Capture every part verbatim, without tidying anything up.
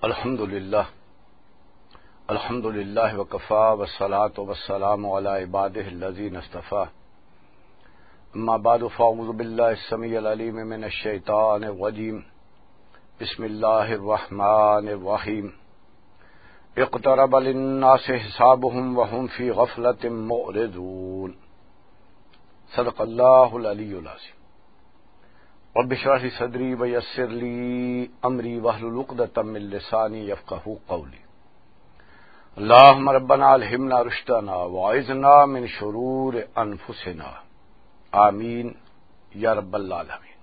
الحمد لله. الحمد لله وكفى، والصلاة والسلام على عباده الذين اصطفى. أما بعد، فأعوذ بالله السميع العليم من الشيطان الرجيم. بسم الله الرحمن الرحيم. اقترب للناس حسابهم وهم في غفلة معرضون. صدق الله العلي العظيم. رب اشرح لي صدري ويسر لي أمري واحلل عقدة من لساني يفقهوا قولي. اللهم ربنا ألهمنا رشدنا وأعذنا من شرور أنفسنا. آمين يا رب العالمين.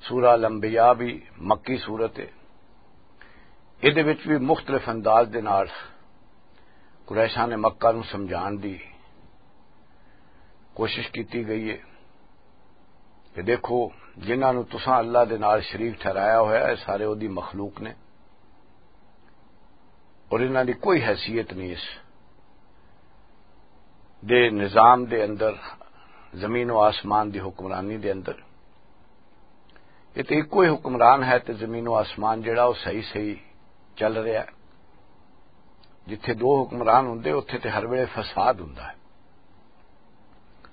سورہ الانبیاء بھی مکی سورت ہے۔ ادھے وچ بھی مختلف انداز دے نال قریشاں نے مکہ نوں سمجھان دی کوشش کیتی گئی ہے کہ دیکھو، جنہاں نوں تساں اللہ دے نال شریک ٹھہرایا ہویا ہے، سارے اودی مخلوق نے، اور انہاں دی کوئی حیثیت نہیں اس دے نظام دے اندر، زمین و آسمان دی حکمرانی دے اندر۔ یہ تے کوئی حکمران ہے تے زمین و آسمان جڑا وہ صحیح صحیح چل رہا ہے۔ جتھے دو حکمران ہوندے، اتھے تے ہر ویلے فساد ہوندا ہے،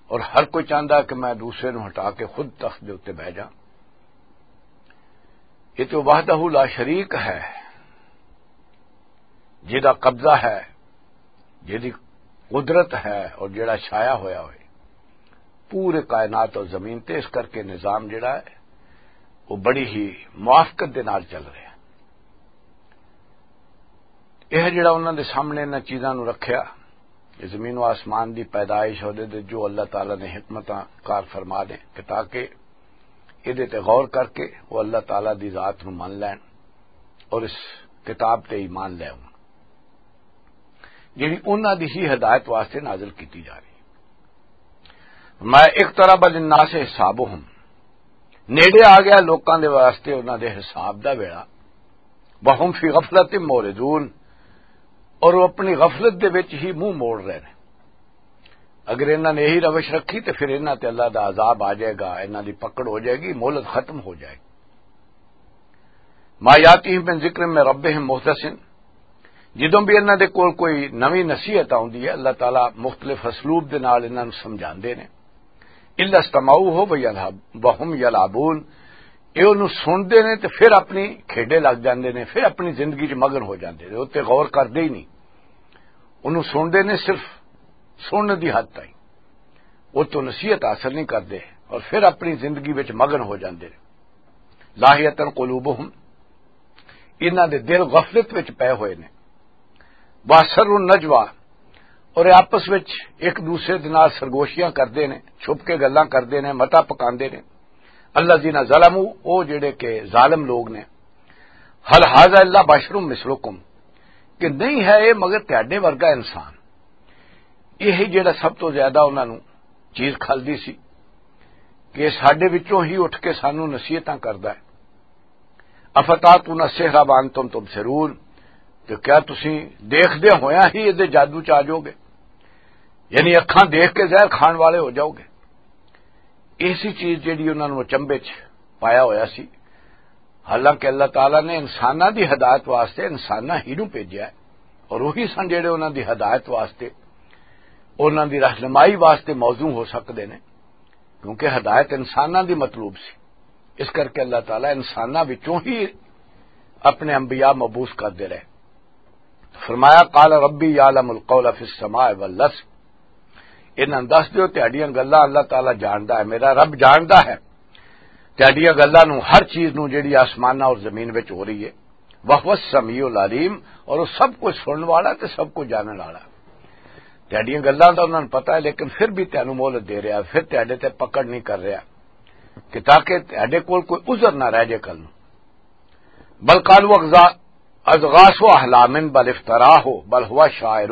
اور ہر کوئی چاہندا کہ میں دوسرے نوں ہٹا کے خود تخت دے اُتے بہہ جاں۔ یہ تے وحدہ لا شریک ہے، جہدا قبضہ ہے، جہدی قدرت ہے اور جہڑا چھایا ہویا ہوئے پورے کائنات اور زمین تے۔ اس کر کے نظام جڑا ہے، وہ بڑی ہی موافقت دے نال چل رہا ہے۔ یہ جڑا انہاں دے سامنے انہاں چیزاں نوں رکھیا، یہ زمین و آسمان دی پیدائش، اور دے جو اللہ تعالیٰ نے حکمتاں کار فرما دے کہ تاکہ یہ دے تے غور کر کے وہ اللہ تعالیٰ دی ذات نوں من لین اور اس کتاب تے ایمان لے آؤں، جڑی انہاں دی ہی ہدایت واسطے نازل کیتی جا رہی۔ ما اقترب للناس حسابهم، نیڑے آ گیا لوکاں دے واسطے انہاں دے حساب دا ویلا۔ وهم في غفلة معرضون، اور وہ اپنی غفلت دے وچ ہی منہ موڑ رہے نے۔ اگر انہاں نے یہی روش رکھی تے پھر انہاں تے اللہ دا عذاب آ جائے گا، انہاں دی پکڑ ہو جائے گی، مہلت ختم ہو جائے گی۔ ما یاتیہم من ذکر من ربہم محدث، جدوں بھی انہاں دے کول کوئی نویں نصیحت آوندی ہے، اللہ تعالیٰ مختلف اسلوب دے نال انہاں نوں سمجھاندے نے۔ الا استمعوہ وہم یلعبون، اے انہوں سنتے نے تے پھر اپنی کھیڈے لگ جاندے نے، پھر اپنی زندگی چ مگن ہو جاندے نے، اتنے غور کردے ہی نہیں۔ انہوں سنتے نے صرف سننے دی حد تائیں، وہ تو نصیحت حاصل نہیں کردے اور پھر اپنی زندگی وچ مگن ہو جاندے نے۔ لاہیتاً قلوبہم، انہاں دے دل غفلت وچ پے ہوئے نے۔ واسر النجوہ، اور آپس وچ ایک دوسرے دے نال سرگوشیاں کردے نے، چھپ کے گلاں کردے نے، متا پکاندے نے۔ الذین ظلموا، او جڑے کہ ظالم لوگ نے۔ هل هذا الا بشر مثلکم، کہ نہیں ہے یہ مگر تہاڈے ورگا انسان۔ یہ جڑا سب تو زیادہ انہاں نوں چیز کھلدی سی کہ ساڈے وچوں ہی اٹھ کے سانوں نصیحتاں کردا ہے۔ افتاتون السحر وانتم تبصرون، تو کیا تسی دیکھدے ہویا ہی یہ جادو چ آ جاؤ گے؟ یعنی اکھاں دیکھ کے زہر کھان والے ہو جاؤ گے؟ ایسی چیز جیڑی انہاں نوں اچنبے چ پایا ہویا سی، حالانکہ اللہ تعالیٰ نے انساناں دی ہدایت واسطے انساناں ہی نوں بھیجیا ہے، اور وہی سن جیڑے انہاں دی ہدایت واسطے، انہاں دی رہنمائی واسطے موزوں ہو سکدے نے، کیونکہ ہدایت انساناں دی مطلوب سی۔ اس کر کے اللہ تعالیٰ انساناں وچوں ہی اپنے انبیاء مبعوث کردے رہے۔ فرمایا، قال ربی یعلم القول فی السماء والارض۔ انہاں دس دیو، تہاڈیاں گلاں اللہ تعالیٰ جاندا ہے، میرا رب جاندا ہے تہاڈیاں گلاں نوں، ہر چیز نوں جڑی آسماناں اور زمین وچ ہو رہی ہے۔ وہو السمیع العلیم، اور وہ سب کچھ سنن والا تے سب کچھ جانن والا۔ تہاڈیاں گلاں دا انہاں نوں پتہ ہے، لیکن پھر بھی تہانوں مہلت دے رہا، پھر تہاڈے تے پکڑ نہیں کر رہا کہ تاکہ تہاڈے کول کوئی عذر نہ رہ جائے کل نوں۔ بل قالوا اغزا-، اضغاث احلام بل افتراہ بل ہوا شاعر۔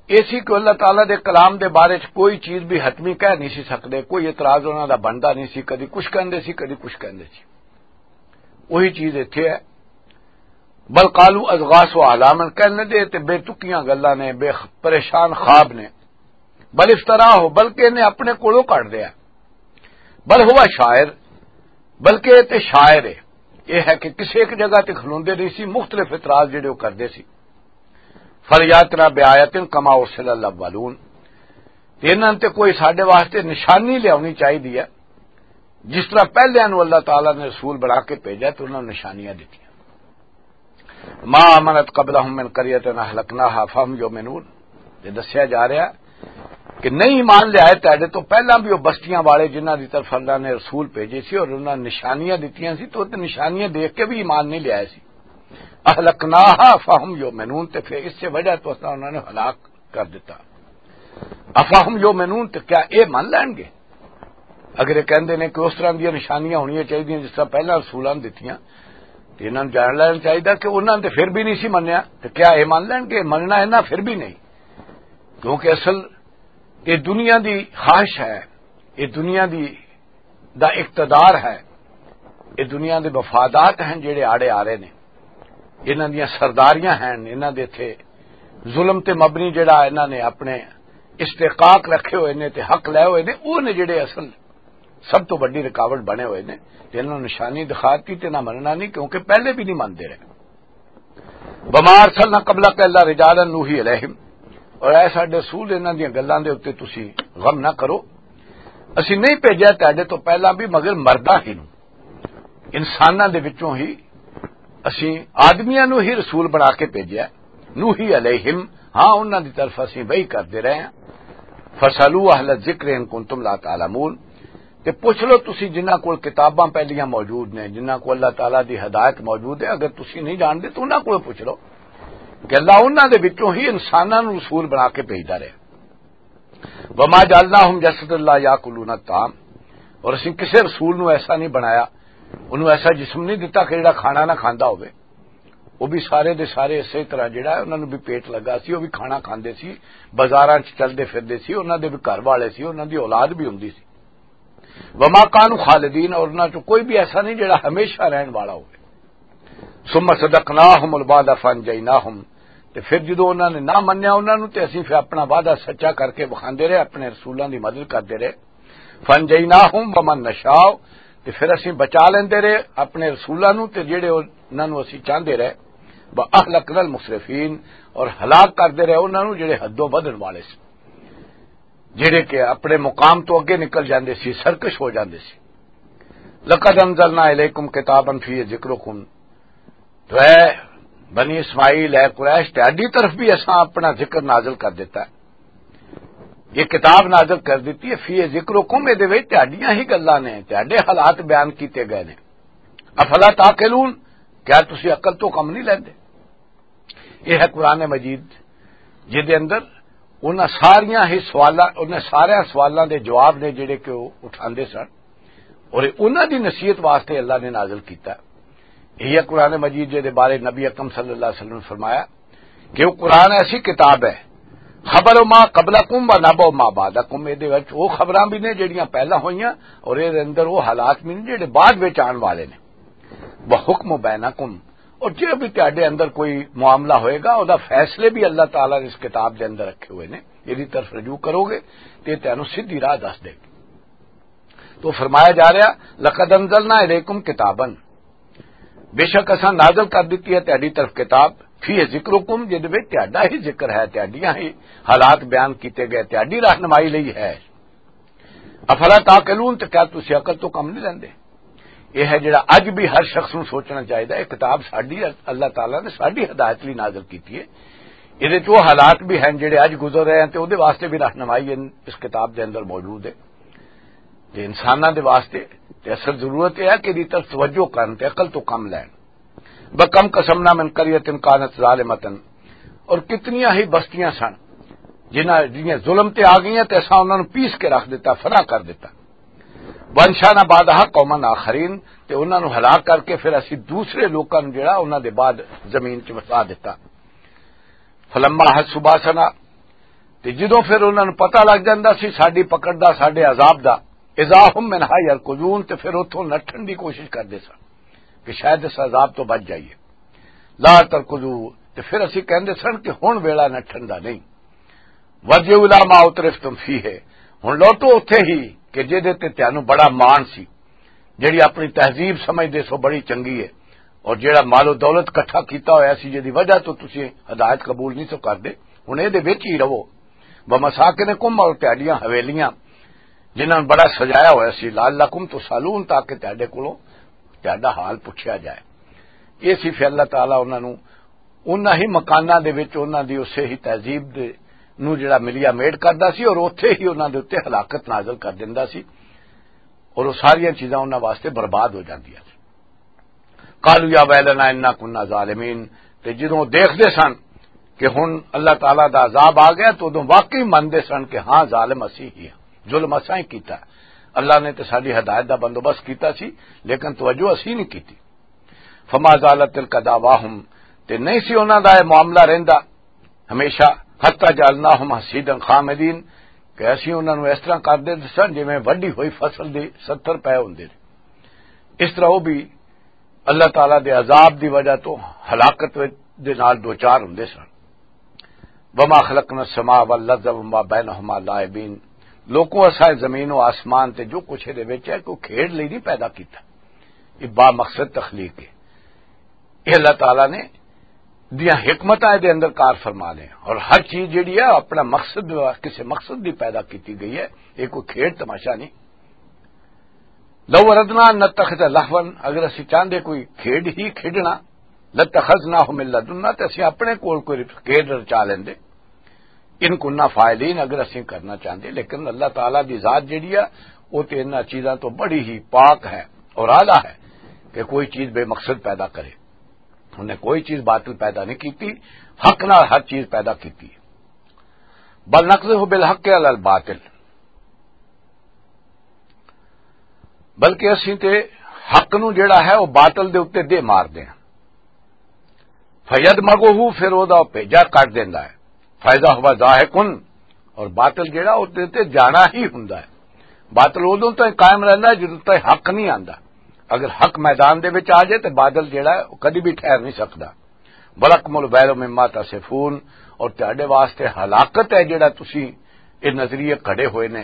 ایسی کہ اللہ تعالیٰ دے کلام دے بارے چ کوئی چیز بھی حتمی کہہ نہیں سی سکدے، کوئی اعتراض انہاں دا بندا نہیں سی، کدی کچھ کہندے سی، کدی کچھ کہندے سی۔ وہی چیز ایتھے ہے۔ بل قالوا اضغاث احلام، کہنے دے تے بے تکیاں گلاں نے، بے خ-، پریشان خواب نے۔ بل افتراہ، بلکہ انہیں اپنے کولوں کڈ دیا۔ بل ہوا شاعر، بلکہ یہ تے شاعر ہے۔ یہ ہے کہ کسی ایک جگہ تے کھلوندے نہیں سی، مختلف اعتراض جڑے وہ کردے سی۔ فَلْيَأْتِنَا بِآيَةٍ كَمَا أُرْسِلَ الْأَوَّلُونَ، تے انہاں تے کوئی ساڈے واسطے نشانی لیاونی چاہیے ہے، جس طرح پہلیاں نوں اللہ تعالیٰ نے رسول بنا کے بھیجا تے انہاں نوں نشانیاں دتیاں۔ ما آمنت قبلہم من قریۃ اہلکناہا فہم یؤمنون۔ یہ دسیا جا رہا کہ نہیں ایمان لے آئے تہاڈے تو پہلاں بھی وہ بستیاں والے جنہاں دی طرف اللہ نے رسول بھیجے سی اور انہاں نشانیاں دتیاں سی، تو انہاں نشانیاں دیکھ کے بھی ایمان نہیں لے آئے سی۔ اہلکناہا فہم یؤمنون، تے پھر اس سے وجہ تو اساں انہاں نے ہلاک کر دیتا۔ افہم یؤمنون، تے کیا اے من لین گے؟ اگر یہ کہندے نے کہ اس طرح دیا نشانیاں ہونیاں چاہیے جس طرح پہلا رسولاں نے دتیاں، تے انہاں نوں جان لینا چاہیے کہ انہاں نے تے پھر بھی نہیں سی منیا، تے کیا اے من لین گے؟ مننا انہاں پھر بھی نہیں، کیونکہ اصل یہ دنیا دی خواہش ہے، یہ دنیا دی دا اقتدار ہے، یہ دنیا دے مفادات ہیں جڑے آڑے آ رہے نے، انہاں دیاں سرداریاں ہیں، انہاں دے تھے ظلم تے مبنی جڑا انہاں نے اپنے استحقاق رکھے ہوئے نے تے حق لے ہوئے نے، وہ نے جڑے اصل سب تو بڑی رکاوٹ بنے ہوئے نے۔ تے انہاں نوں نشانی دکھاتی تے نہ مننا نہیں، کیونکہ پہلے بھی نہیں منتے رہے۔ وما ارسلنا قبلک الا رجالا نوحی الیہم، اور اے ساڈے رسول، انہاں دیاں گلاں دے اُتے تسی غم نہ کرو، اسی نہیں بھیجیا تہاڈے تو پہلا بھی مگر مرداں ہی نوں، انساناں دے وچوں ہی اسی آدمیاں نوں ہی رسول بنا کے بھیجیا۔ نوحی علیہم، ہاں، انہاں دی طرف اسی وحی کردے رہے ہیں۔ فسالو اہل الذکر ان کنتم لا تعلمون، تے پوچھ لو تسی جنہاں کول کتاباں پہلیاں موجود نے، جنہاں کول اللہ تعالیٰ دی ہدایت موجود ہے، اگر تسی نہیں جانتے تو انہاں کول پوچھ لو کہ اللہ انہاں دے وچوں ہی انساناں نوں رسول بنا کے بھیجدا رہے۔ وما جعلناہم جسدا لا یاکلون الطعام، اور اسی کسے رسول نوں ایسا نہیں بنایا، انہوں ایسا جسم نہیں دتا کہ جڑا کھانا نہ کھاندا ہوئے۔ وہ بھی سارے دے سارے اسی طرح جڑا ہے، انہاں نوں بھی پیٹ لگا سی، وہ بھی کھانا کھاندے سی، بازاراں چ چلدے پھردے سی، انہاں دے بھی گھر والے سی، انہاں دی اولاد بھی ہوندی سی۔ وما کانوا خالدین، اور انہاں چوں کوئی بھی ایسا نہیں جڑا ہمیشہ رہن والا ہوئے۔ ثم صدقناہم الوعد فانجیناہم، تے پھر جدوں انہاں نے نہ منیا انہاں نوں، تے اسی پھر اپنا وعدہ سچا کر کے وکھاندے رہے، اپنے رسولاں دی مدد کردے رہے۔ فانجیناہم ومن نشاء، تے پھر اسی بچا لیندے رہے اپنے رسولاں نوں تے جڑے انہاں نوں اسی چاہندے رہے۔ واہلکنا المسرفین، اور ہلاک کردے رہے انہاں نوں جڑے حدوں ودھن والے سی، جڑے کہ اپنے مقام تو اگے نکل جاندے سی، سرکش ہو جاندے سی۔ لقد انزلنا الیکم کتابا فیہ ذکرکم، تو اے بنی اسماعیل، اے قریش، تہاڈی طرف بھی اساں اپنا ذکر نازل کر دیتا ہے۔ یہ کتاب نازل کر دیتی ہے، فیہ ذکرکم، اے دے وچ تہاڈیاں ہی گلاں نے، تہاڈے حالات بیان کیتے گئے نے۔ افلا تعقلون، کیا تسی عقل تو کم نہیں لیندے؟ یہ ہے قرآن مجید، جس دے اندر انہاں ساریاں ہی سوالاں، انہاں سارے سوالاں دے جواب نے جڑے کہ وہ اٹھاندے سن، اور انہاں دی نصیحت واسطے اللہ نے نازل کیتا۔ یہ قرآن مجید جس دے بارے نبی اکرم صلی اللہ علیہ وسلم نے فرمایا کہ وہ قرآن ایسی کتاب ہے، خبر ما قبلکم و نبأ ما بعدکم، اے دے وچ وہ خبراں بھی نے جڑیاں پہلا ہوئیاں، اور اے دے اندر وہ حالات بھی نے جڑے بعد وچ آن والے نے۔ وحکم بینکم، اور جے بھی تہاڈے اندر کوئی معاملہ ہوئے گا، او دا فیصلے بھی اللہ تعالیٰ نے اس کتاب دے اندر رکھے ہوئے نے۔ یہ دی طرف رجوع کرو گے تے تینوں سیدھی راہ دس دے گی۔ تو فرمایا جا رہا، لقد انزلنا الیکم کتابا، بے شک اساں نازل کر دتی ہے تہاڈی طرف کتاب، فیہ ذکرکم، جے دے وچ تہاڈا ہی ذکر ہے، تہاڈیاں ہی حالات بیان کیتے گئے، تہاڈی رہنمائی لئی ہے۔ افلا تعقلون، تے کیا تسی عقل تو کم نہیں لیندے؟ یہ ہے جڑا اج بھی ہر شخص نوں سوچنا چاہیدا ہے، یہ کتاب ساڈی، اللہ تعالیٰ نے ساڈی ہدایت لئی نازل کیتی ہے۔ یہ وچ وہ حالات بھی ہیں جڑے اج گزر رہے ہیں، تے اودے واسطے بھی رہنمائی ان-، اس کتاب دے اندر موجود ہے۔ تے انساناں دے واسطے تے اصل ضرورت یہ ہے کہ دی طرف توجہ کرن تے عقل تو کم لین۔ وَكَمْ قَصَمْنَا مِنْ قَرْيَةٍ كَانَتْ ظَالِمَةً، اور کتنیاں ہی بستیاں سن جنہاں، جنہاں ظلم تے آ گئیاں تے اساں انہاں نوں پیس کے رکھ دتا، فنا کر دتا۔ وَأَنشَأْنَا بَعْدَهَا قَوْمًا آخَرِينَ، تے انہاں نوں ہلاک کر کے پھر اسی دوسرے لوکاں نوں جڑا انہاں دے بعد زمین چ وسا دتا۔ فَلَمَّا أَحَسُّوا بَأْسَنَا، تے جدوں پھر انہاں نوں پتہ لگ جاندا سی ساڈی پکڑ دا، ساڈے عذاب دا، اذا هم منها يركضون، تے پھر اتھوں نٹھن دی کوشش کردے سن کہ شاید اس عذاب تو بچ جائیے۔ لا ترکضوا، تے پھر اسی کہندے سن کہ ہن ویلا نٹھن دا نہیں۔ وارجعوا الی ما اترفتم فیہ، ہن لوٹو اتھے ہی کہ جے دے تے تانوں بڑا مان سی۔ جڑی اپنی تہذیب سمجھدے سو بڑی چنگی ہے، اور جڑا مال و دولت اکٹھا کیتا ہویا سی، جدی وجہ تو تسی ہدایت قبول نہیں سو کردے، ہن اے دے وچ ہی رہو۔ ومساکنکم، اور تہاڈیاں حویلیاں جنہاں نوں بڑا سجایا ہویا سی، لعلکم تسالون، تاکہ تہاڈے کولوں تہاڈا حال پوچھیا جائے۔ یہ سی پھر اللہ تعالیٰ انہاں نوں انہاں ہی مکاناں دے وچ انہاں دی اسے ہی تہذیب دے نوں جڑا ملیا میڈ کردا سی، اور اوتھے ہی انہاں دے اوتے ہلاکت نازل کر دیندا سی، اور وہ ساریاں چیزاں انہاں واسطے برباد ہو جاندیاں سی۔ قالوا یا ویلنا انا کنا ظالمین، تے جدوں دیکھدے سن کہ ہن اللہ تعالیٰ دا عذاب آ گیا، تو ادوں واقعی مندے سن کہ ہاں، ظالم اسی ہی ہاں، ظلم اساں ہی کیتا۔ اللہ نے تے ساڈی ہدایت دا بندوبست کیتا سی، لیکن توجہ اسی نہیں کیتی۔ فما زالت تلک دعواہم، تے نہیں سی انہاں دا یہ معاملہ رہندا ہمیشہ، حتی جعلناہم حصیدا خامدین، کہ اسی انہاں نوں اس طرح کر دے سن جویں وڈی ہوئی فصل دے ستر پے ہوندے نے۔ اس طرح وہ بھی اللہ تعالیٰ دے عذاب دی وجہ تو ہلاکت دے نال دوچار ہوندے سن۔ وما خلقنا السماء والارض وما بینہما لاعبین، لوکوں، اساں زمین و آسمان تے جو کچھ دے وچ ہے، کوئی کھیڈ لئی نہیں پیدا کیتا۔ یہ با مقصد تخلیق ہے۔ یہ اللہ تعالیٰ نے دیاں حکمتاں دے اندر کار فرما لے، اور ہر چیز جڑی ہے اپنا مقصد، کسی مقصد دی پیدا کیتی گئی ہے۔ یہ کوئی کھیڈ تماشا نہیں۔ لو اردنا ان نتخذ لہوا، اگر اسی چاہندے کوئی کھیڈ ہی کھیڈنا، لتخذناہ من لدنا، تے اسی اپنے کول کوئی کھیڈ رچا لیندے۔ ان کننا فاعلین، اگر اسی کرنا چاہندے، لیکن اللہ تعالیٰ دی ذات جڑی ہے، وہ تے انہاں چیزاں تو بڑی ہی پاک ہے اور اعلیٰ ہے کہ کوئی چیز بے مقصد پیدا کرے۔ انہیں کوئی چیز باطل پیدا نہیں کیتی، حق نال ہر چیز پیدا کیتی۔ بل نقذف بالحق علی الباطل، بلکہ اسی تے حق نو جڑا ہے وہ باطل دے اُتے دے مار دے ہیں۔ فید مگو، پھر او دا بھیجا کٹ دیندا ہے۔ فیضا ہوا ضاحکن، اور باطل جڑا اُتے تے جانا ہی ہوندا ہے۔ باطل اودوں تائیں قائم رہندا ہے جدوں تائیں حق نہیں آندا۔ اگر حق میدان دے وچ آ جائے تے باطل جڑا ہے وہ کدی بھی ٹھہر نہیں سکدا۔ ولکم الویل مما تصفون، اور تہاڈے واسطے ہلاکت ہے جڑا تسی یہ نظریے کھڑے ہوئے نے،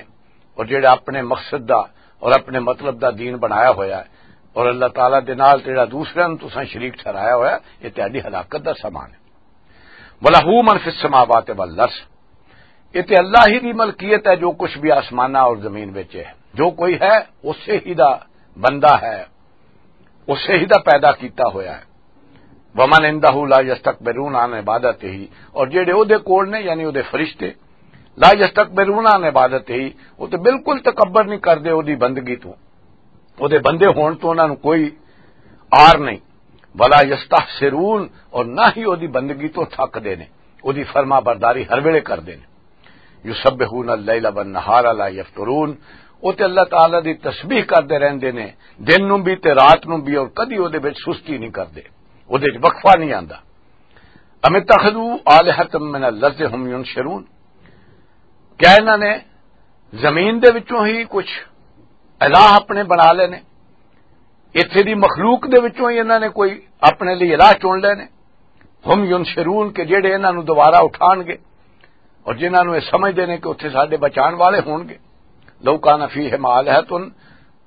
اور جڑا اپنے مقصد دا اور اپنے مطلب دا دین بنایا ہویا ہے، اور اللہ تعالیٰ دے نال جڑا دوسرے نوں تساں شریک ٹھہرایا ہویا ہے، یہ تہاڈی ہلاکت دا سامان ہے۔ وَلَهُ مَنْ فِي السَّمَاوَاتِ وَالْأَرْضِ، یہ تے اللہ ہی دی ملکیت ہے، جو کچھ بھی آسمانہ اور زمین وچ ہے، جو کوئی ہے، اسے ہی دا بندہ ہے، اسے ہی دا پیدا کیتا ہویا ہے۔ وَمَنْ عِنْدَهُ لَا يَسْتَكْبِرُونَ عَنْ عِبَادَتِهِ، اور جڑے او دے کول نے، یعنی او دے فرشتے، لَا يَسْتَكْبِرُونَ عَنْ عِبَادَتِهِ، وہ تے بالکل تکبر نہیں کردے او دی بندگی تو۔ او دے بندے ہون تو انہاں نوں کوئی آر نہیں۔ وَلَا يَسْتَحْسِرُونَ، اور نہ ہی او دی بندگی تو تھک دے نے، او دی فرما برداری ہر ویلے کردے نے۔ یسبحون اللیل والنہار لا یفترون، او تے اللہ تعالیٰ دی تسبیح کردے رہندے نے، دن نوں بھی تے رات نوں بھی، اور کدی او دے وچ سستی نہیں کردے، او دے وچ وقفہ نہیں آندا۔ ام اتخذوا آلہۃ من الارض ہم ینشرون، کیا انہاں نے زمین دے وچوں ہی کچھ الہ اپنے بنا لے نے؟ اتھے دی مخلوق دے وچوں ہی انہاں نے کوئی اپنے لئی الہ چن لے نے؟ ہم ینشرون، کہ جڑے انہاں نوں دوبارہ اٹھان گے، اور جنہاں نوں یہ سمجھدے نے کہ اتھے ساڈے بچان والے ہون گے۔ لو کان فیہما آلہۃ،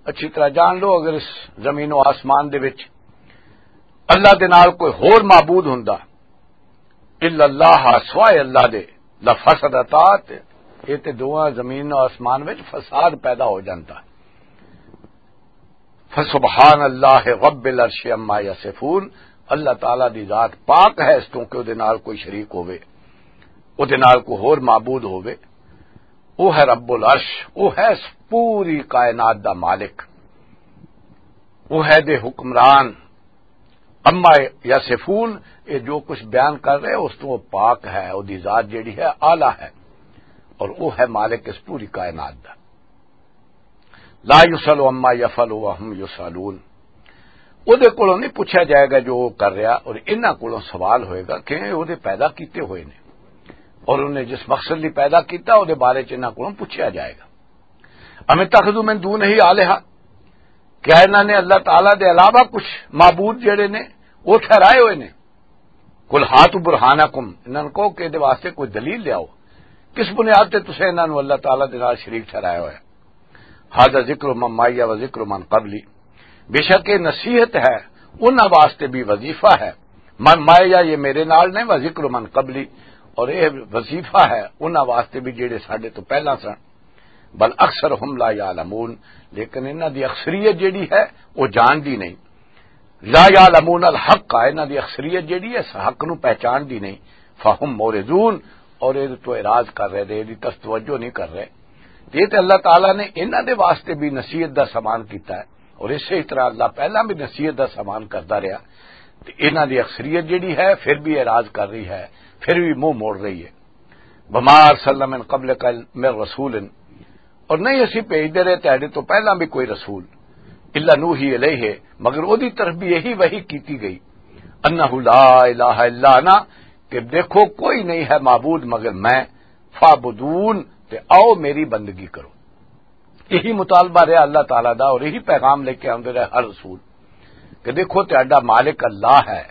اچھی طرح جان لو، اگر اس زمین و آسمان دے وچ اللہ دے نال کوئی ہور معبود ہوندا، الا اللہ، سوائے اللہ دے، لفسدتا، تے یہ تے دوواں زمین و آسمان وچ فساد پیدا ہو جاندا۔ فسبحان اللہ رب العرش عما یصفون، اللہ تعالیٰ دی ذات پاک ہے اس تو کہ او دے نال کوئی شریک ہووے، او دے نال کوئی ہور معبود ہووے۔ او ہے رب العرش، او ہے اس پوری کائنات دا مالک، او ہے دے حکمران۔ اما یصفون، یہ جو کچھ بیان کر رہے اس تو وہ پاک ہے، او دی ذات جڑی ہے اعلیٰ ہے، اور او ہے مالک اس پوری کائنات دا۔ لا یسأل عما یفعل وهم یسألون۔ او دے کولوں نہیں پوچھا جائے گا جو وہ کر رہا، اور انہاں کولوں سوال ہوئے گا کہ او دے پیدا کیتے ہوئے نے، اور انہیں جس مقصد لئی پیدا کیتا، او دے بارے چ انہاں کولوں پوچھا جائے گا۔ ام اتخذوا من دونہ آلہۃ، کیا انہاں نے اللہ تعالیٰ دے علاوہ کچھ معبود جڑے نے، وہ ٹھہرائے ہوئے نے؟ قل ہاتوا برہانکم، انہاں نوں کہو کہ دے واسطے کوئی دلیل لیاؤ، کس بنیاد تے تسیں انہاں نوں اللہ تعالیٰ دے نال شریک ٹھہرایا ہویا؟ ھذا ذکر من معی و ذکر من قبلی، بے شک یہ نصیحت ہے، انہاں واسطے بھی وظیفہ ہے۔ من مایا، یہ میرے نال نہیں، وہ ذکر من قبلی، اور یہ وظیفہ ہے انہاں واسطے بھی جڑے ساڈے تو پہلا سن۔ بل اکثرہم لا یعلمون، لیکن انہاں دی اکثریت جڑی ہے، وہ جاندی نہیں۔ لا یعلمون الحق، انہاں دی اکثریت جڑی ہے، اس حق نو پہچاندی نہیں۔ فہم مورزون، اور یہ تو اعراض کر رہے، یہ طرف توجہ نہیں کر رہے۔ تے یہ تے اللہ تعالیٰ نے انہاں دے واسطے بھی نصیحت دا سامان کیتا ہے، اور اسی طرح اللہ پہلا بھی نصیحت دا سامان کردا رہیا۔ تے انہاں دی اکثریت جڑی ہے، پھر بھی اعراض کر رہی ہے، پھر بھی منہ موڑ رہی ہے۔ وما ارسلنا من قبلک من رسول، اور نہیں اسی بھیجدے رہے تیرے تو پہلا بھی کوئی رسول، الا نوحی الیہ، مگر اودی طرف بھی یہی وحی کیتی گئی، انہ لا الہ الا انا، کہ دیکھو کوئی نہیں ہے معبود مگر میں، فعبدون، تے آؤ میری بندگی کرو۔ یہی مطالبہ رہا اللہ تعالیٰ دا، اور یہی پیغام لے کے آندے رہے ہر رسول کہ دیکھو تہاڈا مالک اللہ ہے،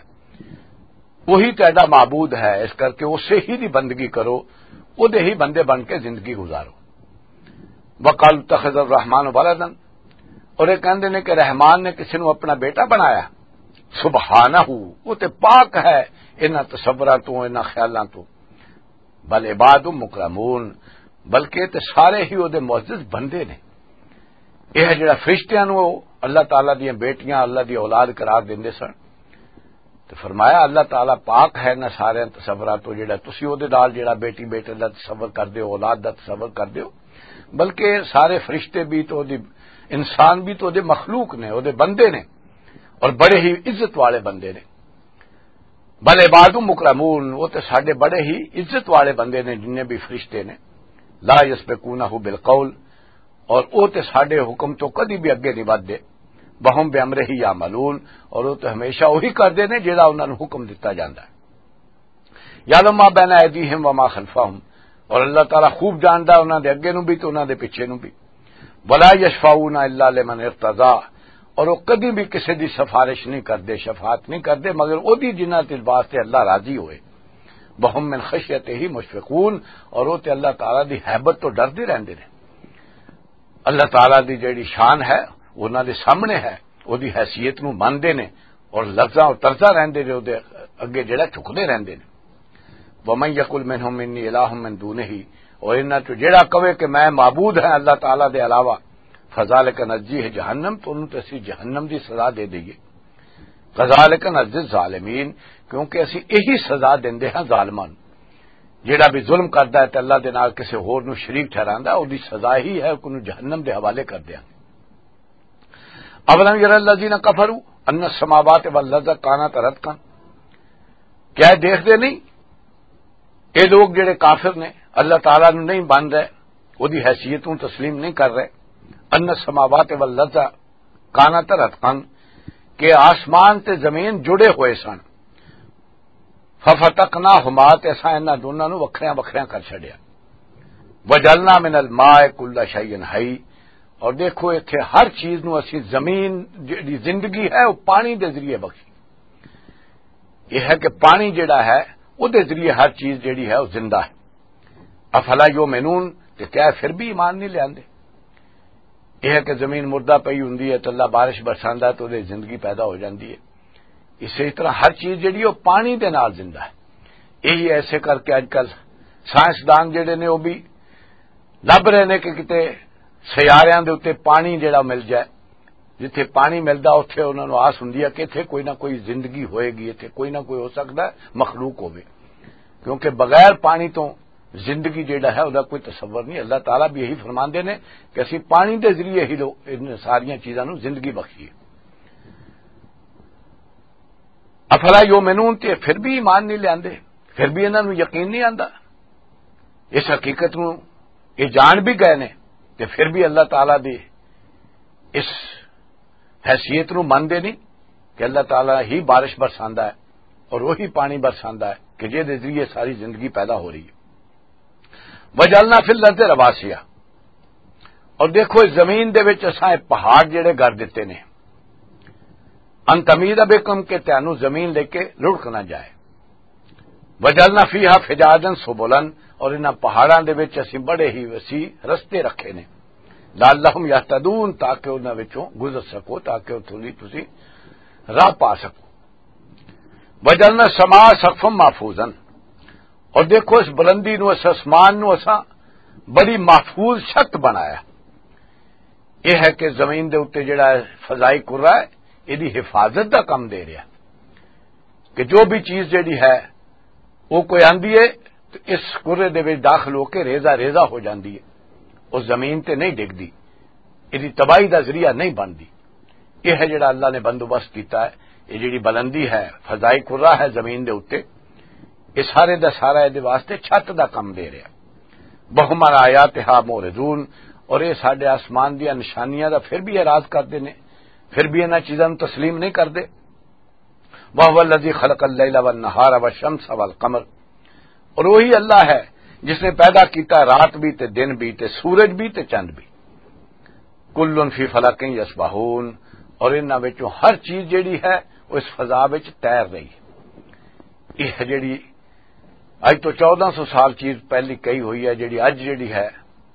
وہی تہاڈا معبود ہے، اس کر کے اسے ہی دی بندگی کرو، وہ دے ہی بندے بن کے زندگی گزارو۔ وقالوا اتخذ الرحمن ولدا، اور یہ کہندے نے کہ رحمان نے کسی نو اپنا بیٹا بنایا۔ سبحانہ، وہ تے پاک ہے انہاں تصوراں تو، انہاں خیالاں تو۔ بل عباد مکرمون، بلکہ تے سارے ہی وہ دے معزز بندے نے۔ یہ جڑا فرشتیاں نو اللہ تعالیٰ دیاں بیٹیاں، اللہ دی اولاد قرار دیندے سن، تے فرمایا، اللہ تعالیٰ پاک ہے انہاں سارے تصورات تو، جڑا تسی او دے نال جڑا بیٹی بیٹے دا تصور کر دیو، اولاد دا تصور کر دیو، بلکہ سارے فرشتے بھی تو دی، انسان بھی تو دے مخلوق نے، او دے بندے نے، اور بڑے ہی عزت والے بندے نے۔ بل عباد مکرمون، وہ تے ساڈے بڑے ہی عزت والے بندے نے، جنہیں بھی فرشتے نے۔ لا یسبقونہ بالقول، اور وہ تے ساڈے حکم تو کدی بھی اگے نہیں ودھدے۔ وہم بامرہ یعملون، اور وہ تے ہمیشہ وہی کردے نے جڑا انہاں نوں حکم دتا جاندا ہے۔ یعلم ما بین ایدیہم وما خلفہم، اور اللہ تعالیٰ خوب جاندا ہے انہاں دے اگے نوں بھی تے انہاں دے پیچھے نوں بھی۔ ولا یشفعون الا لمن ارتضی، اور وہ کدی بھی کسی دی سفارش نہیں کردے، شفاعت نہیں کردے، مگر وہ دی جنہاں تے واسطے اللہ راضی ہوئے۔ وہم من خشیتہ مشفقون، اور وہ تے اللہ تعالیٰ دی ہیبت تو ڈردے رہندے نے۔ اللہ تعالیٰ دی جڑی شان ہے، وہ انہاں دے سامنے ہے، وہ دی حیثیت نوں مندے نے، اور لرزاں اور ترزاں رہندے نے، وہ دے اگے جڑا جھکدے رہندے نے۔ ومن یقل منہم انی الہ من دونہ، اور انہاں چوں جڑا کہے کہ میں معبود ہاں اللہ تعالیٰ دے علاوہ، فذالک نجزیہ جہنم، تو انہوں تے اسی جہنم دی سزا دے دئیے۔ کذالک نجزی الظالمین، کیونکہ اسی یہی سزا دیندے ہاں ظالماں نوں۔ جڑا بھی ظلم کردا ہے تے اللہ دے نال کسے ہور نوں شریک ٹھہراندا ہے، اودی سزا ہی ہے کہ انہوں جہنم دے حوالے کر دیاں۔ اولم یر الذین کفروا ان السماوات والارض کانتا رتقا، کیا یہ دیکھدے نہیں یہ لوگ جڑے کافر نے، اللہ تعالیٰ نوں نہیں بن رہے، اودی حیثیت نوں تسلیم نہیں کر رہے؟ ان السماوات والارض کانتا رتقا، کہ آسمان تے زمین جڑے ہوئے سن، ففتقناہما، تے اساں انہاں دوناں نوں وکھریاں وکھریاں کر چھڈیا۔ وجعلنا من الماء کل شیء حی، اور دیکھو ایتھے ہر چیز نوں اسی زمین جڑی زندگی ہے وہ پانی دے ذریعے بخشی۔ یہ ہے کہ پانی جڑا ہے، وہ دے ذریعے ہر چیز جڑی ہے وہ زندہ ہے۔ افلا یؤمنون، تے کیا پھر بھی ایمان نہیں لیاندے؟ یہ ہے کہ زمین مردہ پئی ہوندی ہے تے اللہ بارش برساندا ہے تے اودے زندگی پیدا ہو جاندی ہے۔ اسی طرح ہر چیز جڑی وہ پانی دے نال زندہ ہے۔ یہی ایسے کر کے اج کل سائنسدان جڑے نے وہ بھی لب رہے نے کہ کتے سیاریاں دے اُتے پانی جڑا مل جائے۔ جتھے پانی ملدا، اتھے انہاں نوں آس ہوندی ہے کہ اتھے کوئی نہ کوئی زندگی ہوئے گی، اتھے کوئی نہ کوئی ہو سکدا ہے مخلوق ہوے، کیونکہ بغیر پانی تو زندگی جیڑا ہے، اُدا کوئی تصور نہیں۔ اللہ تعالیٰ بھی یہی فرماندے نے کہ اسی پانی دے ذریعے ہی لو-، ان ساریاں چیزاں نوں زندگی بخشی ہے۔ افلا یؤمنون، تے پھر بھی ایمان نہیں لیاندے، پھر بھی انہاں نوں یقین نہیں آندا اس حقیقت نوں؟ یہ جان بھی گئے نے، تے پھر بھی اللہ تعالیٰ دی اس حیثیت نوں مندے نہیں کہ اللہ تعالیٰ ہی بارش برساندا ہے اور وہی پانی برساندا ہے کہ جے دے ذریعے ساری زندگی پیدا ہو رہی ہے۔ وجعلنا فی الارض رواسیا، اور دیکھو اس زمین دے وچ اساں یہ پہاڑ جڑے گڑ دتے نے، ان تمید بکم، کہ تانوں زمین لے کے لڑک نہ جائے۔ وجعلنا فیہا فجاجا سبلا، اور انہاں پہاڑاں دے وچ اسیں بڑے ہی وسیع رستے رکھے نے۔ لعلہم یہتدون، تاکہ انہاں وچوں گزر سکو، تاکہ اتھوں دی تسی راہ پا سکو۔ وجعلنا السماء سقفا محفوظا، اور دیکھو اس بلندی نو، اس آسمان نو اساں بڑی محفوظ چھت بنایا۔ یہ ہے کہ زمین دے اُتے جڑا ہے فضائی کرہ ہے، یہ دی حفاظت دا کم دے رہا کہ جو بھی چیز جڑی ہے وہ کوئی آندی ہے تو اس کرے دے وچ داخل ہو کے ریزہ ریزہ ہو جاندی ہے، اس زمین تے نہیں ڈگدی، یہ دی تباہی دا ذریعہ نہیں بندی۔ یہ ہے جڑا اللہ نے بندوبست کیتا ہے۔ یہ جڑی بلندی ہے، فضائی کرہ ہے زمین دے اُتے، یہ سارے دا سارا یہ دے واسطے چھت دا کم دے رہا۔ وہم عن آیاتہا معرضون، اور یہ ساڈے آسمان دیاں نشانیاں دا پھر بھی اعراض کردے نے، پھر بھی انہاں چیزاں نوں تسلیم نہیں کردے۔ وَهُوَ الَّذِي خَلَقَ اللَّيْلَ وَالنَّهَارَ وَالشَّمْسَ وَالْقَمَرَ، اور وہی اللہ ہے جس نے پیدا کیتا رات بھی تے دن بھی تے سورج بھی تے چند بھی۔ كُلٌّ فِي فَلَكٍ يَسْبَحُونَ، اور انہاں وچوں ہر چیز جڑی ہے وہ اس فضا وچ تیر رہی ہے۔ یہ جڑی اج تو چودہ سو سال چیز پہلی کہی ہوئی ہے، جڑی اج جڑی ہے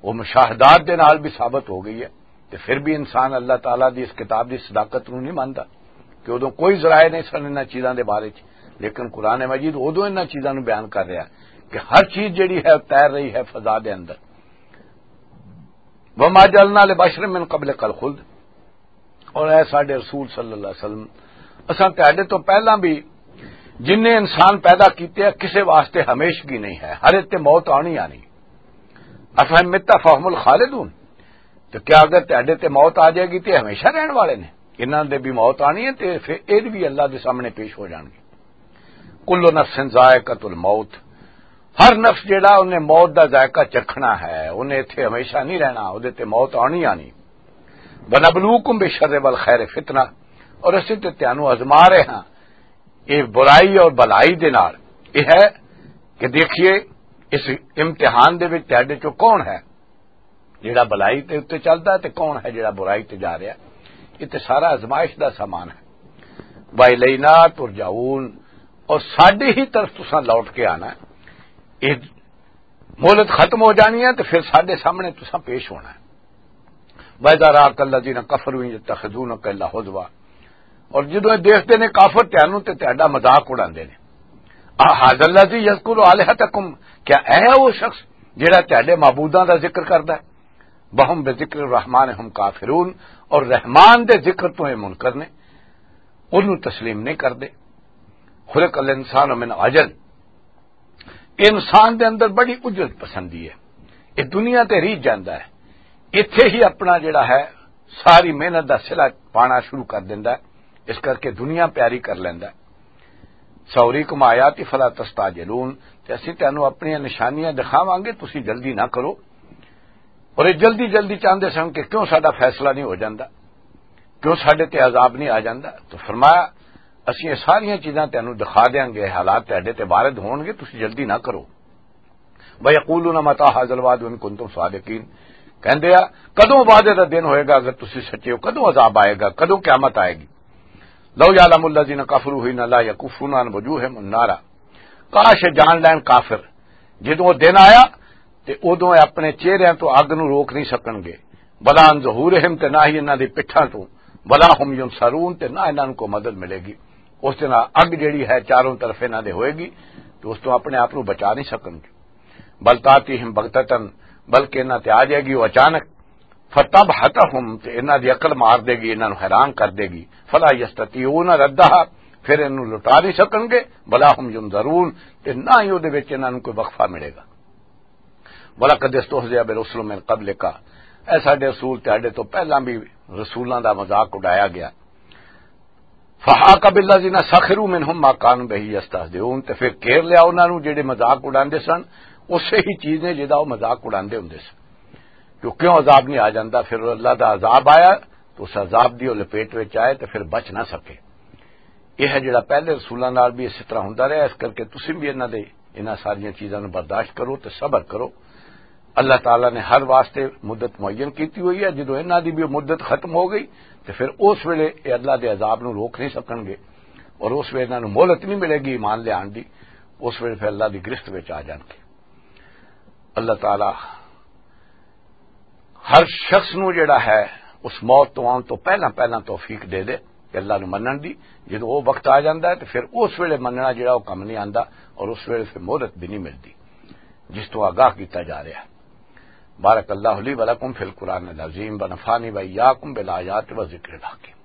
وہ مشاہدات دے نال بھی ثابت ہو گئی ہے۔ تے پھر بھی انسان اللہ تعالیٰ دی اس کتاب دی صداقت نوں نہیں مندا کہ ادوں کوئی ذرائع نہیں سن انہاں چیزاں دے بارے چ، لیکن قرآن مجید ادوں انہاں چیزاں نوں بیان کر رہا کہ ہر چیز جڑی ہے تیر رہی ہے فضا دے اندر۔ وما جعلنا لبشر من قبلک الخلد، اور اے ساڈے رسول صلی اللہ علیہ وسلم، اساں تہاڈے تو پہلاں بھی جنہیں انسان پیدا کیتے ہیں، کسے واسطے ہمیشگی نہیں ہے، ہر ایک تے موت آنی آنی۔ افہم مت فہم الخالدون، تو کیا اگر تہاڈے تے موت آ جائے گی تے ہمیشہ رہن والے نے؟ انہاں دے بھی موت آنی ہے تے پھر اے بھی اللہ دے سامنے پیش ہو جان گے۔ کل نفس ذائقۃ الموت، ہر نفس جڑا انہیں موت دا ذائقہ چکھنا ہے، انہیں ایتھے ہمیشہ نہیں رہنا، اودے تے موت آنی آنی۔ وَنَبْلُوكُمْ بِالشَّرِّ وَالْخَيْرِ فِتْنَةً، اور اسی تے تانوں آزما رہے ہاں، یہ برائی اور بھلائی دے نال۔ یہ ہے کہ دیکھیے اس امتحان دے وچ تہاڈے چوں کون ہے جڑا بھلائی تے اُتے چلدا ہے تے کون ہے جڑا برائی تے جا رہا ہے۔ یہ تے سارا آزمائش دا سامان ہے۔ وَإِلَيْنَا تُرْجَعُونَ، اور ساڈے ہی طرف تساں لوٹ کے آنا ہے۔ یہ مہلت ختم ہو جانی ہے تے پھر ساڈے سامنے تساں پیش ہونا ہے۔ وَإِذَا رَآكَ الَّذِينَ كَفَرُوا يَتَّخِذُونَكَ إِلَّا هُزُوًا، اور جدوں یہ دیکھتے نے کافر تانوں تے تہاڈا مذاق اڑاندے نے۔ اَهَذَا الَّذِي يَذْكُرُ آلِهَتَكُمْ، کیا اے ہے وہ شخص جڑا تہاڈے معبوداں دا ذکر کردا ہے؟ وَهُمْ بِذِكْرِ الرَّحْمَٰنِ هُمْ كَافِرُونَ، اور رحمان دے ذکر تو یہ منکر نے، انہوں تسلیم نہیں کردے۔ خلق الانسان من عجل، انسان دے اندر بڑی اجرت پسندی ہے، یہ دنیا تے ریت جاندا ہے، ایتھے ہی اپنا جڑا ہے ساری محنت دا صلہ پانا شروع کر دیندا ہے، اس کر کے دنیا پیاری کر لیندا ہے۔ سوریکم آیاتی فلا تستعجلون، تے اسی تینوں اپنی نشانیاں دکھاواں گے، تسی جلدی نہ کرو۔ اور یہ جلدی جلدی چاہندے سن کہ کیوں ساڈا فیصلہ نہیں ہو جاندا، کیوں ساڈے تے عذاب نہیں آ جاندا۔ تو فرمایا، اسی یہ ساریاں چیزاں تینوں دکھا دیاں گے، حالات تہاڈے تے وارد ہون گے، تسی جلدی نہ کرو۔ وَيَقُولُونَ مَتَىٰ هَٰذَا الْوَعْدُ إِن كُنتُمْ صَادِقِينَ، کہندے آ، کدوں وعدے دا دن ہوئے گا اگر تسی سچے ہو؟ کدوں عذاب آئے گا؟ کدوں قیامت آئے گی؟ لَوْ يَعْلَمُ الَّذِينَ كَفَرُوا حِينَ لَا يَكُفُّونَ عَنْ وُجُوهِهِمُ النَّارَ، کاش جان لین کافر، جدوں وہ دن آیا تے اودوں اے اپنے چہریاں تو اگ نوں روک نہیں سکن گے۔ وَلَا عَنْ ظُهُورِهِمْ، تے نہ ہی انہاں دی پٹھاں تو۔ وَلَا هُمْ يُنصَرُونَ، تے نہ انہاں نوں کوئی مدد ملے گی۔ اس دن اگ جڑی ہے چاروں طرف انہاں دے ہوئے گی، تو اس تو اپنے آپ نوں بچا نہیں سکن گے۔ بَلْ تَأْتِيهِمْ بَغْتَةً، بلکہ انہاں تے آ جائے گی وہ اچانک۔ فَتَبْهَتَهُمْ، تے انہاں دی عقل مار دے گی، انہاں نوں حیران کر دے گی۔ فَلَا يَسْتَطِيعُونَ رَدَّهَا، پھر انہوں لوٹا نہیں سکن گے۔ وَلَا هُمْ يُنظَرُونَ، تے نہ ہی اودے وچ انہاں نوں کوئی وقفہ ملے گا۔ وَلَقَدِ اسْتُهْزِئَ بِرُسُلٍ مِّن قَبْلِكَ، اے ساڈے رسول، تہاڈے تو پہلاں بھی رسولاں دا مذاق اڈایا گیا۔ فَحَاقَ بِالَّذِينَ سَخِرُوا مِنْهُمْ مَا كَانُوا بِهِ يَسْتَهْزِئُونَ، تے پھر گھیر لیا انہاں نوں جڑے مذاق اڈاندے سن، اسے ہی چیز نے جڑا وہ مذاق اڈاندے ہوندے سن۔ جو کیوں عذاب نہیں آ جاندا، پھر اللہ دا عذاب آیا تو اس عذاب دی وہ لپیٹ وچ آئے تے پھر بچ نہ سکے۔ یہ ہے جڑا پہلے رسولاں نال بھی اسی طرح ہوندا رہیا، اس کر کے تسی بھی انہاں دے، انہاں ساریاں چیزاں نوں برداشت کرو تے صبر کرو۔ اللہ تعالیٰ نے ہر واسطے مدت معین کیتی ہوئی ہے۔ جدوں انہاں دی بھی مدت ختم ہو گئی تے پھر اس ویلے یہ اللہ دے عذاب نوں روک نہیں سکن گے، اور اس ویلے انہاں نوں مہلت نہیں ملے گی ایمان لے آن دی۔ اس ویلے پھر اللہ دی گرفت وچ آ جان گے۔ اللہ تعالیٰ ہر شخص نو جڑا ہے، اس موت تو آن تو پہلا پہلا توفیق دے دے کہ اللہ نو منن دی۔ جدوں وہ وقت آ جاندا ہے، تو پھر اس ویلے مننا جڑا وہ کم نہیں آندا، اور اس ویلے پھر مہلت بھی نہیں ملدی، جس تو آگاہ کیتا جا رہا ہے۔ بارک اللہ لی ولکم فی القرآن العظیم، ونفعنی وإیاکم بالآیات و ذکر الحکیم۔